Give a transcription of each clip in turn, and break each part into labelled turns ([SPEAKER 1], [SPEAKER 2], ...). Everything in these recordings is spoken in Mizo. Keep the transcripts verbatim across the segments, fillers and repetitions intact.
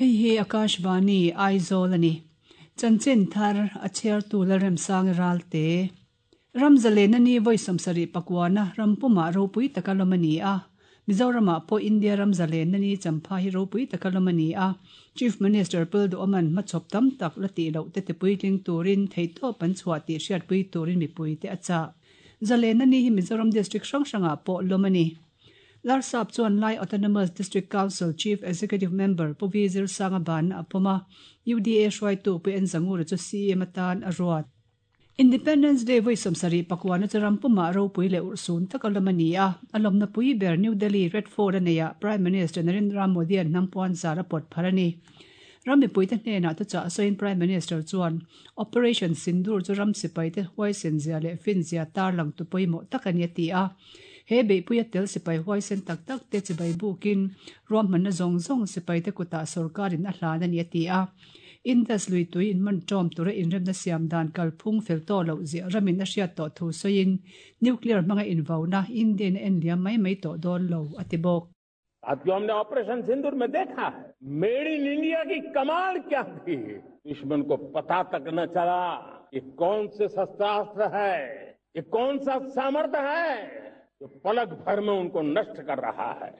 [SPEAKER 1] Hei hi Akashvani Aizawl ani. Chanchin thar a chhiar tu Lalremsang Ralte. Ramzalen ani voi sawmsarih pakwana rampuma ropui taka lawm ani a. Mizorama pawh India ramzalen ani champha hi ropui taka lawm ani a. Chief Minister Pulduoman hmachhawp tam tak la tih loh te tipuitling turin theihtawp an chhuah tih hriatpui turin mipui te a chah. Zalen ani hi Mizoram District hrang hrangah pawh lawm ani. Larsap chuan Lai Autonomous District Council Chief Executive Member Pu V Zirsanga ban a pawm a, U D A hruaitu Pu N Zangura chu C M atan a ruat. Independence Day voi sawmsarih pakwana chu rampuma ropui leh urhsun taka lawm ani a, a lawmna pui ber New Delhi Red Fort a neihah Prime Minister Narendra Modi an hnampuan zar a pawt phar ani. Ram mipuite hnenah te chah sawiin Prime Minister chuan Operation Sindoor chu ram sipaite huaisen zia leh fin zia tarlang tu pawimawh tak ani a ti a. He beihpui a tel sipai huaisen tak tak te chibai bukin ruahmanna zawng zawng sipaite kutah sarkarin a hlan ani a ti a. Indus lui tui in man tawm tura inremna siam dan kalphung fel tawh loh ziah ramin a hriat tawh thu sawiin nuclear hmanga invauna Indian a en liam mai mai tawh dawn lo a ti bawk.
[SPEAKER 2] साथियों, हमने ऑपरेशन सिंदूर में देखा है made in India की कमाल क्या थी। दुश्मन को पता तक न चला कि कौन से शस्त्रास्त्र है, ये कौन सा सामर्थ्य है जो पलक भर में उनको नष्ट कर रहा है।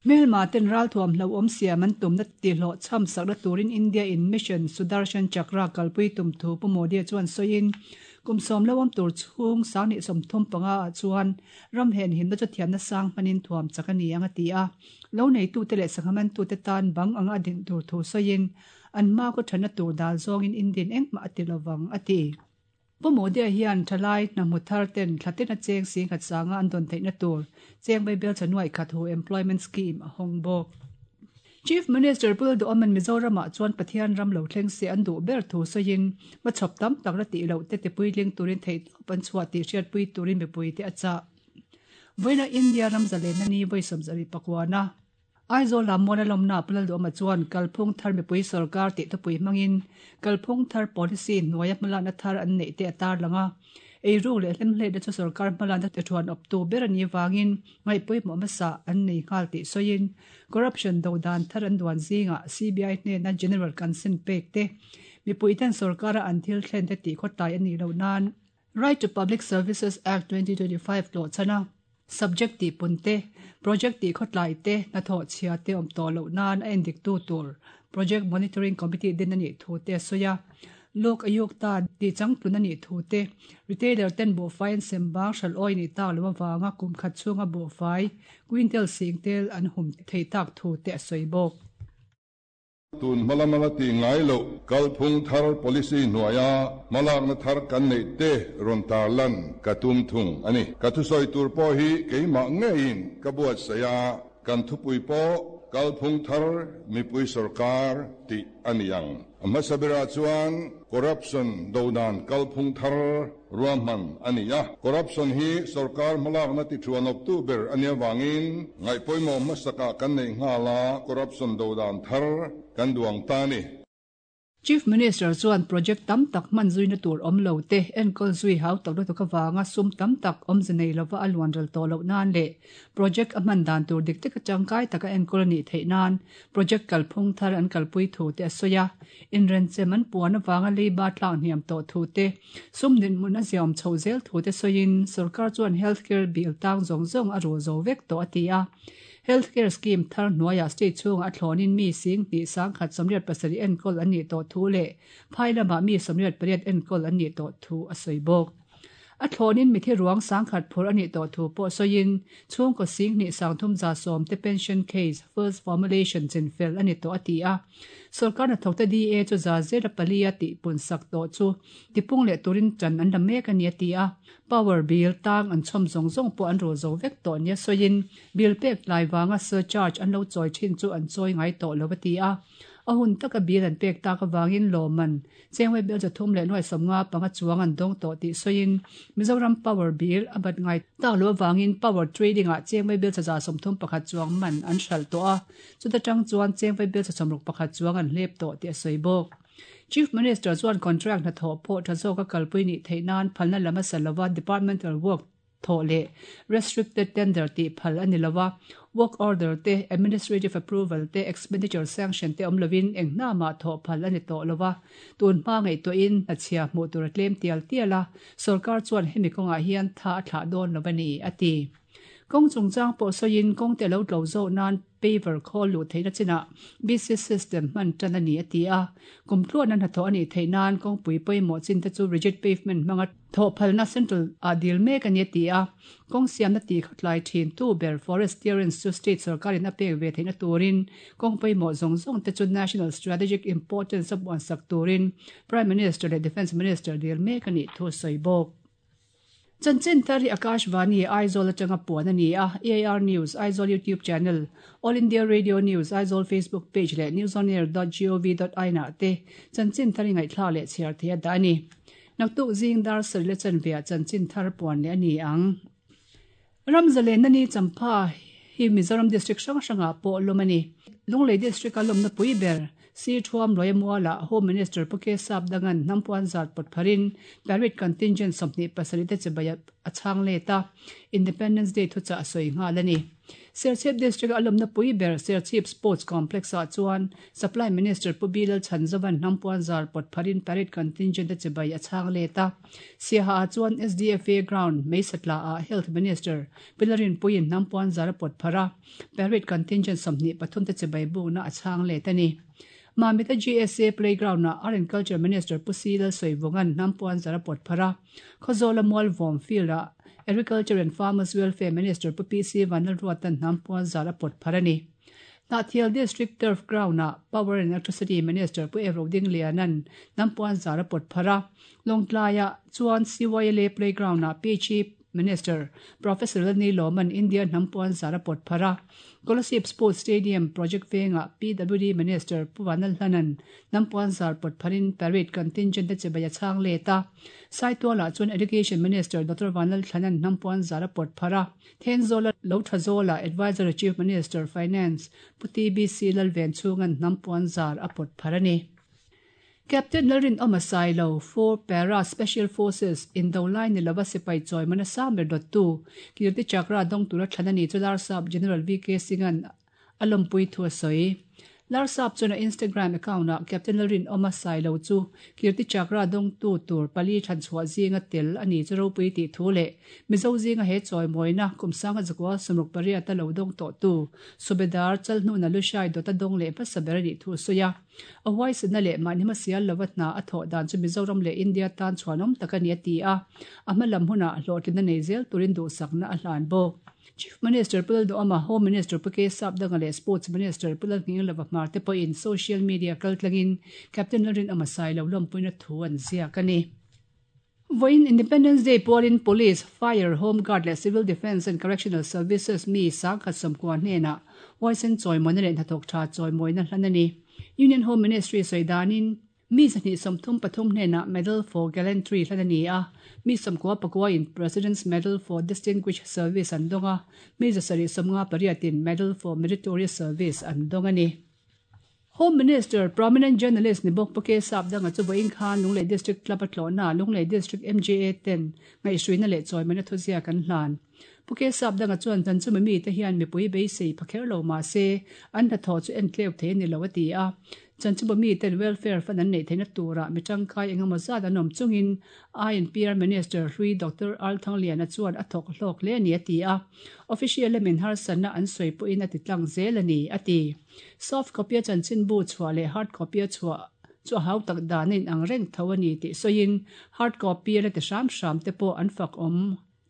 [SPEAKER 1] Hmelma ten ral thuam hlo awm siam an tumna tihhlawh chham sakna turin India in Mission Sudarshan Chakra kalpui tum thu Pu Modi chuan sawiin kum sawm lo awm tur chhung sang hnih sawmthum panga ah chuan ram hen himna chu thiamna sang hmanin thuam chak ani ang a ti a. Lo nei tu te leh sanghaman tu te tan bang anga a din tur thu sawiin an hma khaw thana tur dal zawngin Indian engmah a ti lovang a ti. Pu Modi hian thalai hna thar ten thlatin a cheng sing khat sanga an dawn theihna tur cheng bai bel chanuai khat hu employment scheme a hawng bawk. Chief Minister Pulduoman Mizorama chuan Pathian ram lo thleng se an duh ber thu sawiin hmachhawp tam tak la tih loh te tipuitling turin theihtawp an chhuah tih hriatpui turin mipui te a chah. Vawiina India ramzalen ani voi sawmsarih pakwana Aizawl lam mual a lawmna Pulduoma chuan kalphung thar mipui sarkar tih thupui hmangin kalphung thar policy hnuaia hmalakna thar an neih te a tarlang a. Eiru leh hlemhleihna chu sarkar hmalakna te thuan awp tu ber ani wangin ngaihpawimawh hmasa an nei nghal tih sawiin corruption do dan thar an duan zingah C B I hnena general consent pek te mipui ten sarkara an thil thlen te tih khawtlai ani lo nan Right to Public Services Act twenty twenty-five hlawh chana subject ti punte project ti khawtlai te hnathawh chhia te awm tawh loh nan a endik tu tur project monitoring committee din ani thu te a sawi a. Lok Ayukta ti changtlun ani thu te retailer ten buhfai an sem bang hral awi ni tak lo awanga kum khat chhunga buhfai quintal sing tel an hum thei tak thu te a sawi bawk.
[SPEAKER 3] Tun hmalamala ti ngai lo kalphung thar policy hnuaia hmalakna thar kan nei te rawn tarlan ka tum thung ani. Ka thusawi tur pawh hi keimah ngeiin ka buat saia kan thupui pawh kalphung thar mipui sarkar tih ani ang. A hmasa berah chuan corruption do dan kalphung thar ruahman ani a. Corruption hi sarkar hmalakna ti thuan awp tu ber ania wangin ngaihpawimawh hmasakah kan nei nghala corruption do dan thar kan duang ta ni.
[SPEAKER 1] Chief Minister chuan project tam tak hman zuina tur awm lo te enkawl zui hau tak lutuk awanga sum tam tak awm zinei lova a luan ral tawh loh nan leh project a hman dan tur dik taka tangkai taka enkawl ani theih nan project kalphung thar an kalpui thu te a sawi a. Inrenchem an puan awanga leiba tlang hniam tawh thu te sum dinhmun a ziam chho zel thu te sawiin sarkar chuan healthcare bill tang zawng zawng a ru zo vek tawh a ti a. Healthcare scheme thar hnuaia state chhunga a thlawnin mi sing hnih sang khat sawmriat pasarih enkawl an nih tawh thu leh phai lamah mi sawmriat pariat enkawl an nih tawh thu a sawi bawk. A thlawnin mithi ruang sang khat phur ani tawh thu pawh sawiin chhungkaw sing hnih sang thum za sawm te pension case first formulation chin fel ani tawh a ti a. Sarkar hnathawk te D A chu za zela pali a tih pun sak tawh chu tipung leh turin chan an la mek ani a ti a. Power bill tang an chhawm zawng zawng pawh an ru zo vek tawh nia sawiin bill pek lai wanga surcharge an lo chawi thin chu an chawi ngai tawh lo a ti a. A hun taka bill an pek tak awangin lawman chengwei bel chathum leh nuai sawmnga panga chuang an dawng tawh tih sawiin Mizoram power bill a bat ngai tak lo awangin power trading ah chengwei bel chaza sawmthum pakhat chuang man an hral tawh a. Chuta tang chuan chengwei bel chasawmruk pakhat chuang an hlep tawh tih a sawi bawk. Chief Minister chuan contract na tho pawh tha zawka kalpui ni theihnan phalna lama salova departmental work tho le restricted tender ti phal ani lova work order te administrative approval te expenditure sanction te omlovin engna ma tho phal ani to lova tun hma ngai to in a chhia mu tur tlem tial tiala sarkar chuan hemi konga hian tha thla don lovani ati kong chungchang pawh sawiin kawng te lo tlo zo nan paver khawl lu theihna china B C system hman tan ani ati a kumtluan an hatho ani theihnan kawng pui pawimawh chin te chu rigid pavement hmanga thaw phalna central a dil mek ani ati a kawng siamna ti khatlai thin tu ber forest clearance chu state sarkarin a pek ve theihna turin kawng pawimawh zawng zawng te chu national strategic importance a buan sak turin Prime Minister leh Defence Minister dil mek ani thu sawi bawk. Chanchin thar hi Akashvani Aizawl atanga puan ani a A R News Aizawl YouTube channel All India Radio News Aizawl Facebook page le newsonair dot gov dot in ah te chanchin thar ngai thla le chhiar thei da ani naktuk zing dar sari le chan via chanchin thar puan le ani ang Ramzalen nani champha hi Mizoram district hrang hranga pawh lawm ani Lunglei district a lawmna pui ber Si Thuam Loimuala Home Minister Puke Sap Dangan Nampuan Zat Potpharin Parade Contingent Somni Pasarite Chebaya Achang Leta Independence Day Thucha Asoi Ngalani Serchhip District alumna pui ber Serchhip Sports Complex a chuan Supply Minister Pubilal Chanzavan Nampuan Zar Potpharin Parade Contingent Chebaya Achang Leta Siaha chuan S D F A Ground Meisatla a Health Minister Pilarin Puin Nampuan Zar Potphara Parade Contingent Somni Pathum te Chebay bu na Achang Letani Mamita G S A Playground na Art and Culture Minister Pusila Soivongan Nampuan Zara Potphara Khozola Mall Vom Field a Agriculture and Farmers Welfare Minister Pu P C Vanlalruatan Nampuan Zara Potpharani Nathial District Turf Ground na Power and Electricity Minister Pu Evro Dinglianan Nampuan Zara Potphara Longtlaya chuan C Y L A Playground na P H E Minister Professor Lani Loman India Nampuan Zara Potphara Kolasib Sports Stadium Project Venga P W D Minister Puvanal Hanan Nampuan Zar Potpharin Parade Contingent te chebaya chang leta Saituala chuan Education Minister Doctor Vanal Thanan Nampuan Zara Potphara Thenzola Lothazola Advisor Chief Minister Finance Puti B C Lalven chungan Nampuan Zar apotpharani Captain Larin Omasailo four Para Special Forces in Dolai ni lava sipai choi mana samber dot two Kirti Chakra dong tura thanani chular sub General V K Singan alampui thu soi Lar sap chuna Instagram account na Captain Larin Omasailo chu Kirti Chakra dong tu tur pali than chhuwa zinga tel ani churo pui ti thu le Mizo zinga he choi moina kumsanga zakwa sumruk paria ta lo dong to tu Subedar chalnu na lushai dota dong le pa saberani thu soya a voice na le manima sial lawatna a tho dan chu Mizoram le India tan chuanom takani ati a amalam huna hlotlin na nezel turin du sakna a hlan bo Chief Minister Pulal Doama Home Minister Puke Sap Dangale Sports Minister Pulal Ngilava Marte po in social media kaltlangin Captain Larin Amasai lo lompuina thu an zia kani Voin Independence Day Polin Police Fire Home Guard le Civil Defense and Correctional Services mi sangkhat samkwa hnena voicen choi monere hathok tha choi moina hlanani Union Home Ministry soidanin mi zani somthum pathum hnena Medal for Gallantry hlanani a mi samkwa pakwa in President's Medal for Distinguished Service an donga mi zasari somnga pariatin Medal for Meritorious Service an dongani Home Minister prominent journalist Nibok Puke Sap danga chu boing khan Lunglei District Club atlona Lunglei District M J A ten ngai shuina le choi mana thuzia kan hlan Puke Sap danga chuan chan chu mi te hian mi pui bei sei phakher lo ma se an tha tho chu en tleu the ni lawati a chan chu mi ten welfare fan an nei theina tura mi tangkai engemaw zat an awm chungin I N P R Minister Hrui Doctor Al Thangliana chuan a thawk hlawk le ani ati a official lemin har sanna an sawi pawhin a ti tlang zel ani ati soft copy a chanchin bu chhuah leh hard copy a chhuah chu hau tak danin ang reng tho ani tih sawiin hard copy a la ti hram hram te pawh an fak awm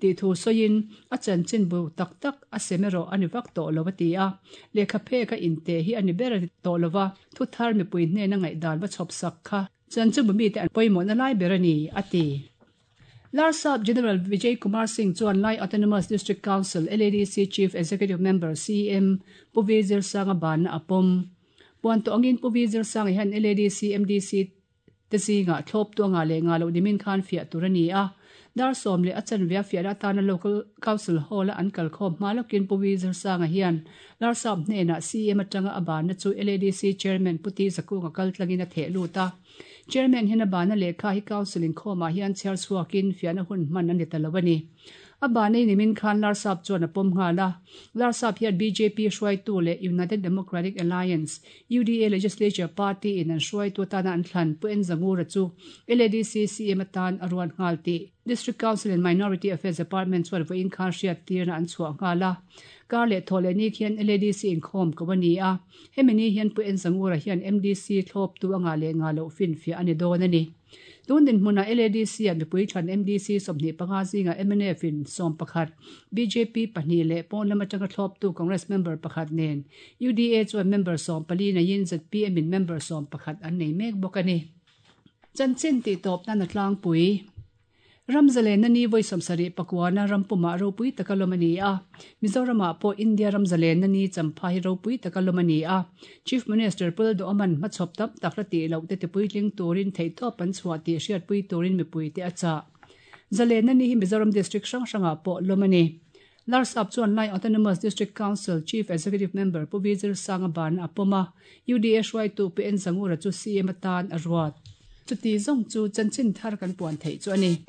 [SPEAKER 1] ti thu sawiin a chanchin bu tak tak a semero ani vak tawh lo ati a lehkha phek a inte hi ani ber tawh lova thu thar mipui hnena ngaih dan va chhawp sak kha chanchin bu mi te an pawimawh na lai ber ani ati Larsap General Vijay Kumar Singh chuan Lai Autonomous District Council L A D C Chief Executive Member C M Pu Vizir Sanga ban na apom puan to angin Pu Vizir Sanga hian L A D C M D C te zinga thlawp tu anga le nga lo nimin khan fiah tur ani a Dar sawm leh a chanve a fiahna atana Local Council Hall a an kal khawm hma lawkin Pu Vizirsanga hian Larsap hnenah C M atanga a banna chu L A D C Chairman Pu T Zakunga kal tlangin a theh lut a. Chairman hian a banna lehkha hi Council inkhawmah hian chhiar chhuakin fiahna hun hman a ni ta lo a ni. A banna hi nimin khan Larsap chuan a pawm nghal a. Larsap hian B J P hruaitu leh United Democratic Alliance, U D A, Legislature Party in an hruaitu atana an thlan Pu N Zangura chu L A D C C M atan a ruat nghal tih District Council and Minority Affairs Department chuan vawiin khan hriat tirna an chhuah nghal a. Kar leh thaw leh ni khian L A D C inkhawm ko a ni a. Hemi ni hian Pu N Zangura hian M D C thlawptu anga leh nga loh finfiah a ni dawn a ni. Tun dinhmuna L A D C a mipui thlan M D C sawmhnih panga zinga M N F in sawm pakhat, B J P pahnih leh pawn lam atanga thlawptu Congress member pakhat nen U D A chuan member sawm pali neiin Z P M in member sawm pakhat an nei mek bawk a ni. Chanchin tih tawp nan a tlangpui. Ramzalen na ni voi sawmsarih pakuana rampuma ropui taka lawm a ni a. Mizorama pawh India ramzalen na ni champha hi ropui taka lawm a ni a. Chief Minister Pu Lalduhoma'n hmachhawp tam tak la tih loh te tipuitling turin theihtawp an chhuah tih hriatpui turin mipui te a chah. Zalen na ni hi Mizoram District hrang hrangah pawh lawm a ni. Larsap chuan Lai Autonomous District Council Chief Executive Member Pu Vizirsanga ban a pawm a. U D A hruaitu Pu N Zangura chu C M atan a ruat. Chuti zawng chu chanchin thar kan puan theih chu a ni.